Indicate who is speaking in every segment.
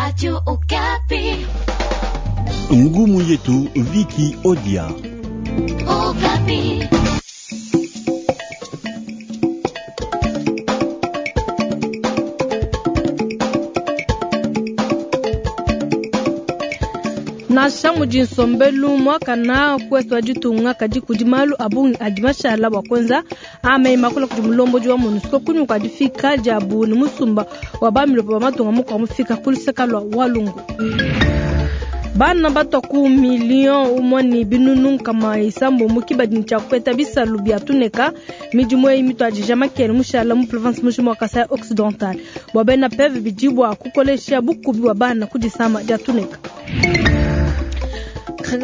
Speaker 1: Radio Okapi.
Speaker 2: Ngumu yetu Viki Odia.
Speaker 1: Okapi.
Speaker 3: Nansha mudi nsombelu muakana kuetu wa ditunga, kadi kudi malu a bungi adi mashala bua kuenza. A meyi makula kudi mulombodi wa MONUSCO kunyima kua difika diabu ne musumba wa bamilopo ba matunga mukuabu mufika ku luseka lua Walungu. Bana batua ku miliyo umue ne binunu 600 kibadi tshia kupeta bisalu bia tuneka. Midimu eyi mituadija makele mushala mu province mujima wa Kasai Occidental. Bua bena PEV bidi bua kukolesha bukubi bua bana ku disama dia tuneka.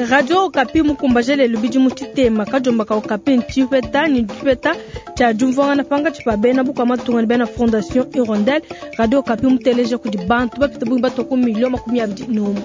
Speaker 3: Radio Okapi mukumbaje lelu bidimu tshitema. Kadiomba ka Okapi ntshipeta ne tshipeta tshia diumvuangana pankatshi pa bena bukua matunga ne bena Fondation Hirondelle. Radio Okapi muteleja kudi bantu bapite bungi batua ku miliyo 21.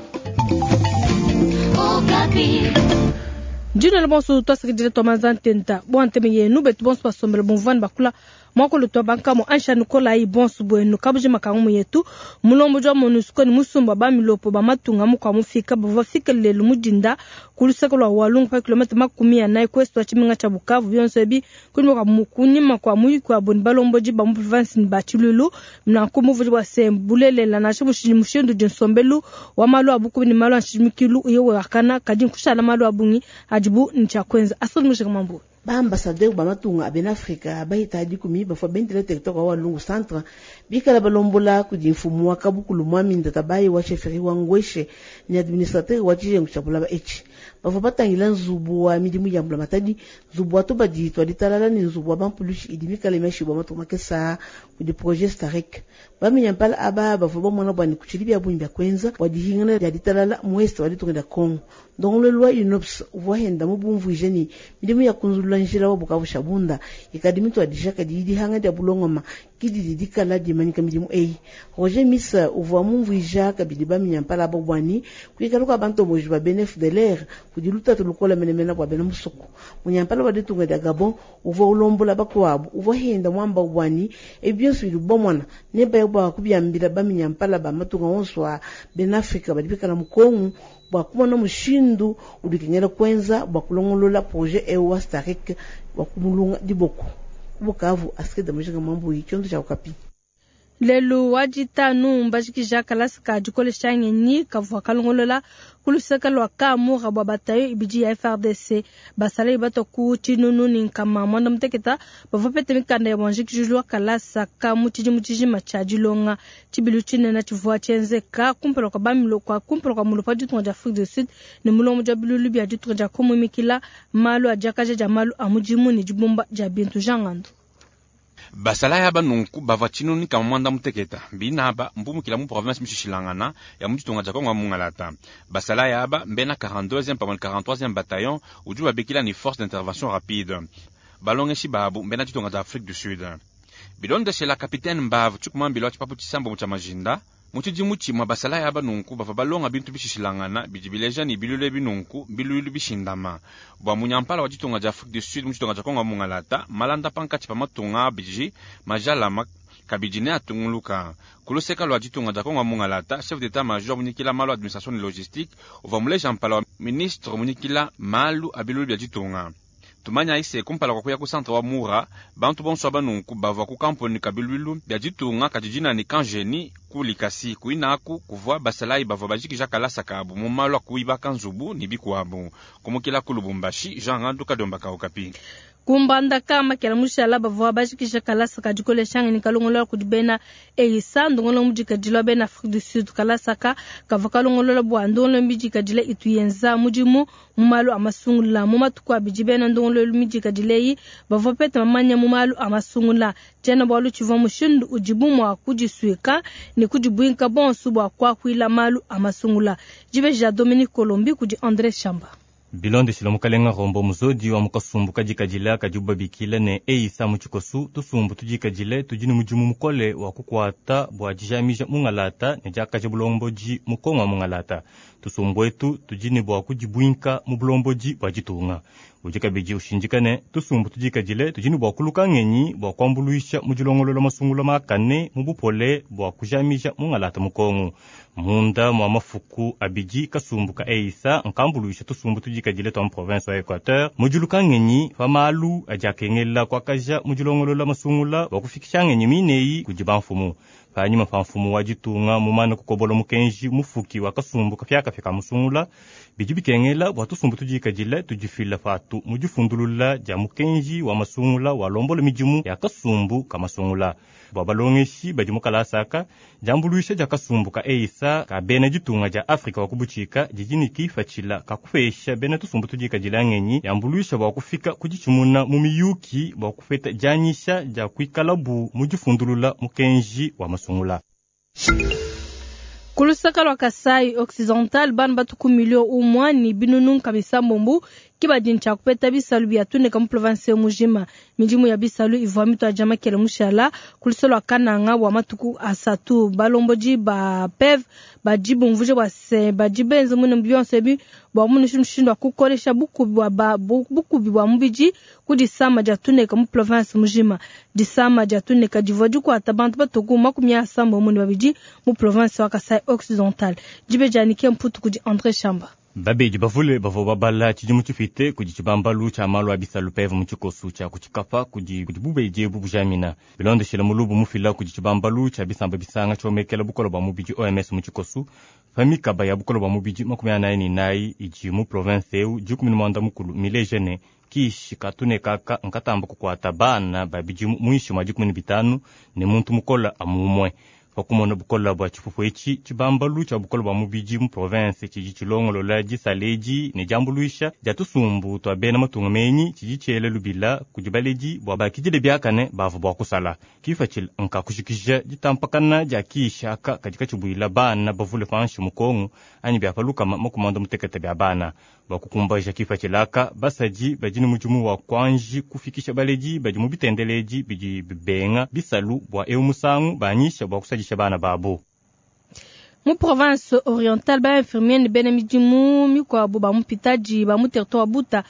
Speaker 3: Ndinela bonso twasakidila twa manza ntenta bua nteme yenu betu bonso basombela bumvuane bakula muakulu twa bankamo ansha nikolayi bonso buenu kabujima ka ngumu yetu. Mulombodi wa MONUSCO ne musumba ba milopo ba matunga mukua mufika bavua bafike lelu mu dinda ku luseke lua Walungu pa kilometa 40 ku est wa tshimenga tshia Bukavu. Bionso ebi kunyima kua kunyima kua muyuki wabu ne balombodi ba mu province ne ba tshiluilu. Nanku muvudi bua se bulelela nansha mushindu udi nsombelu wa malu a bukubi ne malu a nshimikilu yewe wakana, kadi nkushala malu a bungi adibu ne tshia kuenza. Asudi Mujinga Mambu.
Speaker 4: Ba ambassadeur ba matunga a bena Afrika bahita dikumi bafua bendela territoire wa Walungu centre bikala balombola kudi mfumu wa kabukulu mwami Ndatabayi wa chefferie wa Ngweshe ne administrateur wa tshijengu tshia bulaba etshi. Bavua batangila nzubu wa midimu ya mbulamatadi, nzubu wa tubadi twa ditalala ne nzubu wa bampulushi idi mikale miashibua matuku makesa kudi projet Starek. Baminyampala aba bavua bamona bua ne kutshidi bia bungi bia kuenza bua dihingana dia ditalala mu est wa ditunga dia Congo. Ndongoluelu wa UNOPS uvua henda mubumvuije ne midimu ya kunzulula njila wa Bukavu Shabunda ikadi mituadija kadi dihanga dia bulongoma kididi dikala dimanyika midimu eyi. Roger Missa uvua mumvuija kabidi baminyampala aba bua ne kuikala kua bantomboji ba bena FDLR kudi lutatu lukola menemene bua bena musoko. Munyampala wa ditunga dia Gabon uvua ulombola bakuabu uvua henda mwamba bua ne ebi bionso bidi bamona ne baya bua kubiambila baminyampala ba matunga onso a bena Afrika badi bikala mu Congo bua kumona mushindu udi kengela kuenza bua kulongolola projet eu wa Starek bua kumulunga diboko. Ku Bukavu, Astrid Mujinga Mambuyi, tshiondo tshia Okapi.
Speaker 3: Lelu wa ditanu mbajikija kalasa ka dikolesha ngenyi kavua kalongolola ku luseke lua Kamura bua batayo ibidi ya FRDC. Basalayi batua ku 790 bavua bapete mikanda ya buanjikijulu wa kalasa ka mu tshidimu tshijima tshia dilonga. Tshibilu tshinene tshivua tshienzeka kumpala kua bamilo kwa kumpala kua mulopo wa ditunga dia Afrique du Sud ne mulombodi wa bilulu bia ditunga dia kumumikila malu a diakaja dia malu a mudimu ne dibumba dia bintu. Jean Ngandu.
Speaker 5: Basalayi aba nunku bavua 790 binaba mbumukila mu province mishishilangana ya mu ditunga dia Kongo mungalata. Basalayi aba mbena 42e pamwe 43e bataillon udi babikila ni force d'intervention rapide. Balongeshi babu mbena ditunga dia Afrique du Sud. Bilondeshela capitaine Mbavu tshikumambila wa tshipapu tshisambo tshia majinda mu tshidimu tshimue basalayi aba nunku bavua balonga bintu bishishilangana bidi bileja ne bilulu binunku bilulu bishindama. Bua munyampala wa ditunga dia Afrique du Sud mu ditunga dia Kongo mungalata malanda pankatshi pa matunga abidi majalama kabidi ne atunguluka. Ku luseka lua ditunga dia Kongo mungalata chef d'état major munyikila malu administration ne logistique uvua muleja mpala wa ministre munyikila malu a bilulu bia ditunga. Tumanya ise kumpala kwa kuya ku centre wa Mura bantu bonso aba nunku bavua ku kampuni kabiluilu bia ditunga kadi dina ni Kanjeni ku Likasi kuinaku kuvua basalayi bavua bajikija kalasa kabu mu malu a kuibaka nzubu ne bikuabu. Kumukila ku Lubumbashi, Jean Ngandu Kadomba ka Okapi.
Speaker 3: Kumbandaka makela mushala bavua bajikija kalasa ka dikolesha ngenyi kalongolola kudi bena EISA ndongolo mudikadila bena Afrique du Sud. Kalasa ka kavua kalongolola bua ndongolo midikadila itu yenza mudimu mu malu a masungula. Mu matuku abidi bena ndongolo midikadila eyi bavua bapete mamanya mu malu a masungula. Tshiena bualu tshivua mushindu udibu mua kudisuika ne kudibuinka bonso bua kuakuila malu a masungula. Dibeji dia Dominique Colombi kudi André Chamba.
Speaker 6: Bilondeshila mukalenga Rombo Muzodi wa mukasumbu kadikadila kadibu babikila ne EISA mu tshikosu tusumbu tudikadile tudi ne mudimu mukole wa kukuata bua dijamija mungalata ne diakaja bulombodi mu Kongo wa mungalata. Tusumbu etu tudi ne bua kudibuinka mu bulombodi bua ditunga. Udi kabidi ushindika ne, tusumbu tudikadile tudi ne bua kuluka ngenyi bua kuambuluisha mu dilongolola masungula makane mu bupole bua kujamija mungalata mu Kongo. Munda mua mafuku abidi kasumbu ka EISA nkambuluisha tusumbu tudikadile tua mu province wa Equateur mu diluka ngenyi pa malu adi akengela kuakaja mu dilongolola masungula bua kufikisha ngenyi mineyi kudi bamfumu. Panyima pa mfumu wa ditunga mumane kukobola mukenji mufuki wa kasumbu kapiakapia ka musungula, bidi bikengela bua tusumbu tudikadile tudifila patu mu difundulula dia mukenji wa masungula walombola midimu ya kasumbu ka masungula. Bua balongeshi badi mu kalasa aka, diambuluisha dia kasumbu ka EISA ka bena ditunga dia Afrika wa kubutshika didi ne kipatshila ka kupesha bena tusumbu tudikadile ngenyi yambuluisha bua kufika ku ditshimuna mu miyuki bua kupeta dianyisha dia kuikalabu mu difundulula mukenji wa masungula.
Speaker 3: Ku lusaka lua Kasai Occidental, bana batuku milio umua ne binunu nkama isambombo ke badi ne tshia kupeta bisalu bia tuneka mu province mujima. Midimu ya bisalu ivua mituadija makele mushala ku lusa lua Kananga bua matuku asatu. Balombodi ba PEV badi bumvuija bua se badi benza muine bionso ebi bua kumona mushindu wa kukolesha bukubi bua ba, bukubi bua mubidi ku disama dia tuneka mu province mujima. Disama dia tuneka divua dikuata bantu batuku 32 mu province wa Kasai Occidental. Dibe dia Nike Mputu kudi André Chamba.
Speaker 6: Babedi bavule bavua babala tshidimu tshipite kudi tshibambalu tshia malu a bisalu PEV mu tshikosu tshia kutshikapa kudi kudi bubedi ebu bujamina. Bilondeshile mulubu mufila kudi tshibambalu tshia bisamba bisanga tshiomekela bukole bua mubidi OMS mu tshikosu, pa mikaba ya bukole bua mubidi 44 idi mu province eu 19 mileje ne kishi katune kaka nkatamba kukuata bana ba bidimu muinshi mua 15 ne muntu mukola amumue. Pakumona bukola bua tshipupu etshi, tshibambalu tshia bukola bua mubidi mu province tshidi tshilongolola disaledi ne diambuluisha dia tusumbu tua bena matunga menyi tshidi tshiela lubila kudi baledi bua bakidile biakane bavua bua kusala. Kipatshila nkakushikisha ditampakana dia kishi aka kadi katshibuila bana bavule panshi mu Kongo anyi bia palukama 56 bia bana. Bua kukumbaja kipatshila aka, basadi badi ne mudimu wa kuanji kufikisha baledi badi mu bitendeledi bidi bibenga bisalu bua eu musangu banyisha bua kusadisha bana babo.
Speaker 3: Mu province orientale, ba infirmier ne bena midimu mikuabu ba mu mpitadi ba mu territoire wa Buta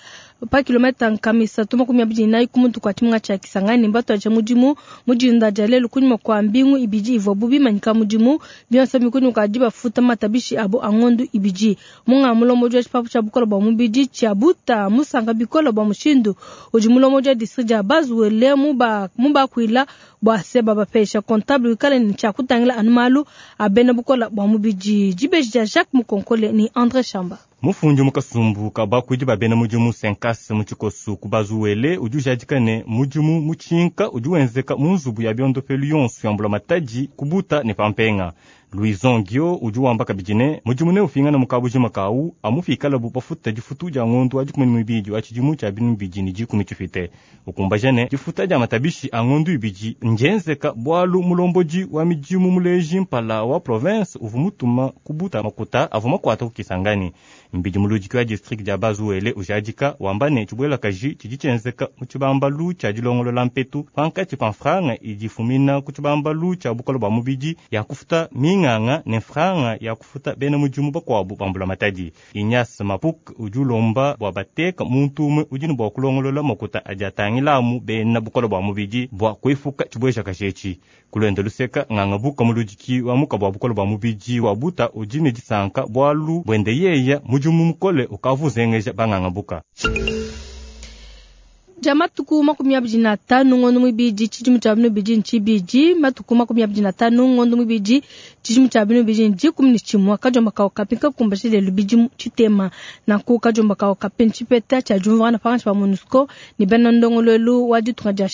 Speaker 3: pa kilometa 324 ku mutu kua tshimenga tshia Kisangani mbatuadija mudimu mu dinda dia lelu kunyima kua mbingu ibidi ivuabu bimanyika mudimu. Bionso bikunyima kua dibafuta matabishi abo a ngondu ibidi. Munga mulombodi wa tshipapu tshia bukole bua mubidi tshia Buta musanka bikole bua mushindu udi mulombodi wa district dia Bazuele mubakuila bua se babapesha comptable wikale ne tshia kutangila anu malu a bena bukole bua mubidi. Dibeji dia Jacques Mukonkole ni André Chamba.
Speaker 6: Mufundi mu kasumbu ka bakuidi ba bena mudimu Senkas mu tshikosu ku Bazuwele udi ujadika ne mudimu mutshinka udi wenzeka mu nzubu ya biondopelu yonso ya mbulamatadi ku Buta ne Pampenga. Louison Gio udi wamba kabidi ne mudimu neufingana mu kabujima kawu amufikalabu bafuta difutu dia ngondu wa 12 wa tshidimu tshia 2010 tshipite. Ukumbaja ne difuta dia matabishi a ngondu ibidi njenzeka bualu mulombodi wa midimu muleji mpala wa province uvu mutuma ku Buta makuta avua makuata ku Kisangani. Mbidi muludiki wa district dia Bazuwele ujadika wamba ne tshibuelakaji tshidi tshienzeka mu tshibambalu tshia dilongolola mpetu pankatshi pa mfranga idi ifumina ku tshibambalu tshia bukole bua mubidi ya kufuta minganga ne mfranga ya kufuta bena mudimu bakuabu ba mbulamatadi. Ignace Mapuk udi ulomba bua bateka muntu umue udi ne bua kulongolola makuta adi atangilamu bena bukole bua mubidi bua kuepuka tshibuejakaji etshi. Kulwenda luseka nganga buka muludiki wa muka bua bukole bua mubidi wa Buta udi ne disanka bualu buende yeya mudimu mukole ukavuzengeja banganga buka.
Speaker 3: Dia matuku 25 ngondo mwibidi tshidimu tshia 2022, matuku 25 ngondo mwibidi tshidimu tshia 2011, kadiomba ka Okapi kakumbasha lelu bidimu tshitema. Nanku kadiomba ka Okapi ntshipeta tshia diumvuangana pankatshi pa MONUSCO ne bena ndongoluelu wa ditunga dia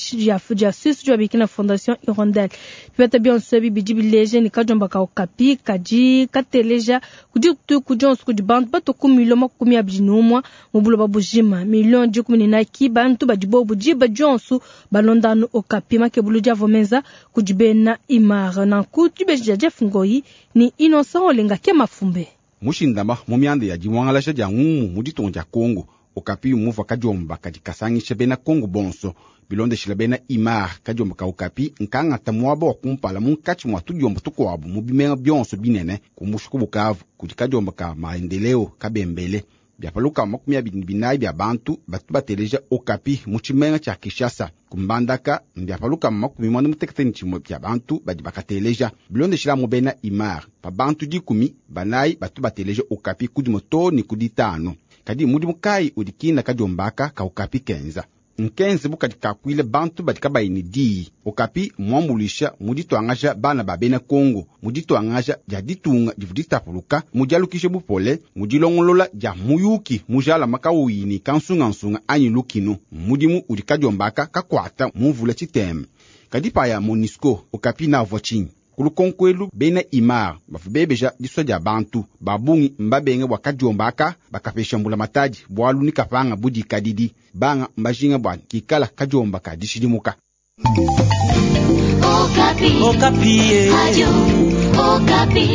Speaker 3: dia Suisse udi babikila Fondation Hirondelle. Bipeta bionso ebi bidi bileja ne kadiomba ka Okapi kadi kateleja kudi dituku dionso kudi bantu batuku milio 21 mu buloba bujima, milio 14 ki bantu badi bobu diba dionso balonda anu Okapi. Makebulu diavua menza kudi bena Imar. Nanku dibeji dia Jeff Ngoi ni Innocent Olenga ke mafumbe.
Speaker 7: Mushindama mu mianda ya dimwangalasha dia ngumu mu ditunga dia Kongo, Okapi muvua kadiomba kadi kasangisha bena Kongo bonso. Bilondeshila bena Imar kadiomba ka Okapi nkangata muaba wa kumpala munkatshi mua tudiomba tukuabu mu bimenga bionso binene kumbusha ku Bukavu kudi kadiomba ka maendeleo kabembele. Bia pa lukama 24 bia bantu batu bateleja Okapi mu tshimenga tshia Kinshasa. Ku Mbandaka mbia pa lukama 61 bia bantu badi bakateleja. Bilondeshila mu bena Imar, pa bantu 10 banayi batu bateleja Okapi ku dimue too ne ku ditanu. Kadi mudimu kayi udi kina kadiombaka ka Okapi kenza? Nkenze bu kadi kakuile bantu badi kabayi ne diyi. Okapi muambuluisha mu dituangaja bana ba bena Kongo, mu dituangaja dia ditunga divua ditapuluka, mu dialukisha bupole, mu dilongolola dia muyuki mujalama kawuyi ne kansungansunga anyi lukinu. Mudimu udi kadiombaka kakuata mu mvula tshiteme. Kadi paya MONUSCO, Okapi navua tshinyi? Ku lukonko elu, bena Imar bavua bebeja disua dia bantu ba bungi mbabenge bua kadiombaka bakapesha mbulamatadi bualu ni kapanga budikadidi. Banga mbajinga bua kikala kadiomba ka dishidimuka.
Speaker 1: Okapi.
Speaker 8: Okapi.
Speaker 1: Radio Okapi.